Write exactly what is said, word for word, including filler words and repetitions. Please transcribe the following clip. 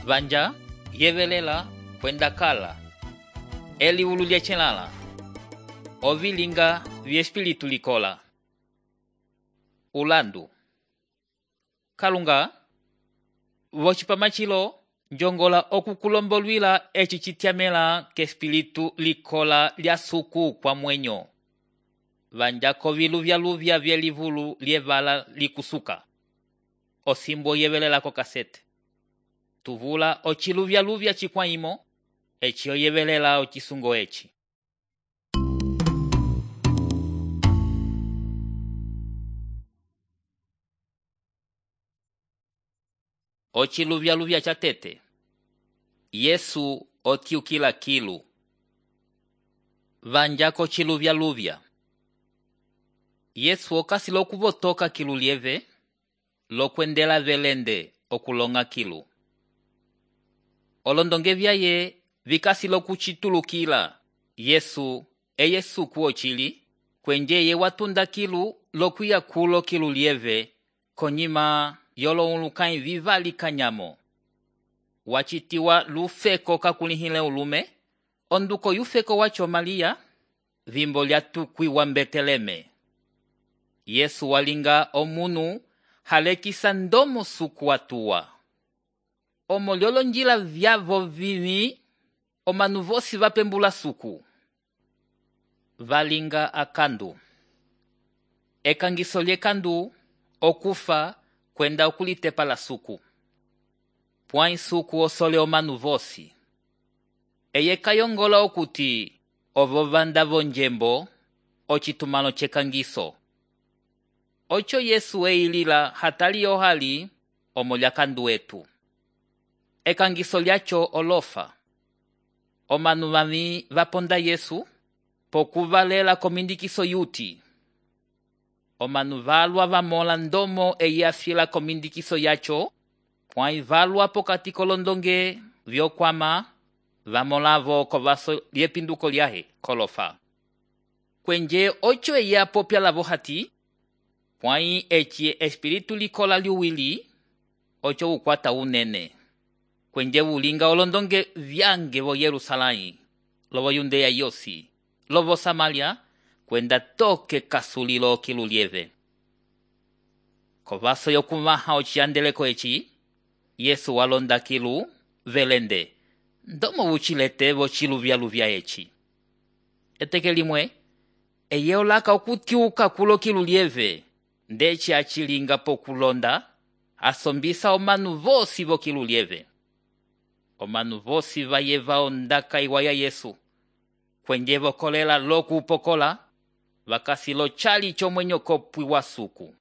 Vanja yevelela kwenda kala eliulu lyechelala ovilinga vyespiritu likola. Ulandu kalunga vocipamachilo njongola okukulombolwila eci citiamela kespiritu likola lya suku kwa mwenyo. Vanja koviluvyaluvya vyelivulu lievala likusuka osimbo yevelela ko kasete. Tuvula ociluvyaluvya cikwaimo eci oyevelela ocisungo eci. Ociluvyaluvya cha tete. Yesu otiukila kilu. Vanja kociluvyaluvya. Yesu okasi lokuvotoka kilu lieve lokwendela velende okulonga kilu. Olondonge vyaye vikasi lokuchitulukila Yesu eye suku ochili kwenjeye watunda kilu lokuya kulo kilu lieve konyima yolo ulukai vivali kanyamo. Wachitiwa lufeko kakulihile ulume onduko yufeko wacho Malia vimbo lya tukwi wa Beteleme. Yesu walinga omunu halekisa ndomo suku watuwa. Omoliolo njila vyavo vivi omanuvosi vapembula suku. Valinga akandu. Ekangiso lyekandu okufa kwenda okulitepa la suku. Pwai suku osole omanuvosi. Eye kayongola okuti ovo vanda vonjembo ocitumano cekangiso. Ocho Yesu eilila hatali ohali omolya kandu etu. Ekangiso lyacho olofa. Omanu vami vaponda Yesu pokuvalela komindikiso yuti. Omanu valwa vamola ndomo eyafila komindikiso yacho pwai valwa pokati kolondonge vyokwama vamolavo kovaso lyepinduko lyahe kolofa. Kwenje ocho eya popya lavo hati pwai eci espiritu likola liuwili ocho ukwata unene. Kwenje ulinga olondonge vyange vo Yerusalai, lovo Yudea yosi, lovo Samaria, kwenda toke kasulilo kilu lieve. Kovaso yokumaha ociandeleko eci, Yesu walonda kilu velende, ndomo uchilete vo chiluvyaluvya eci. Eteke limwe, eye olaka okutiuka kulo kilu lieve, ndeci achilinga pokulonda, asombisa omanu vosi vo kilu lieve. Omanu vosi vayeva ondaka iwaya Yesu. Kwenje vokolela loku upokola, vakasi lo chali chomwenyo kopwi wa suku.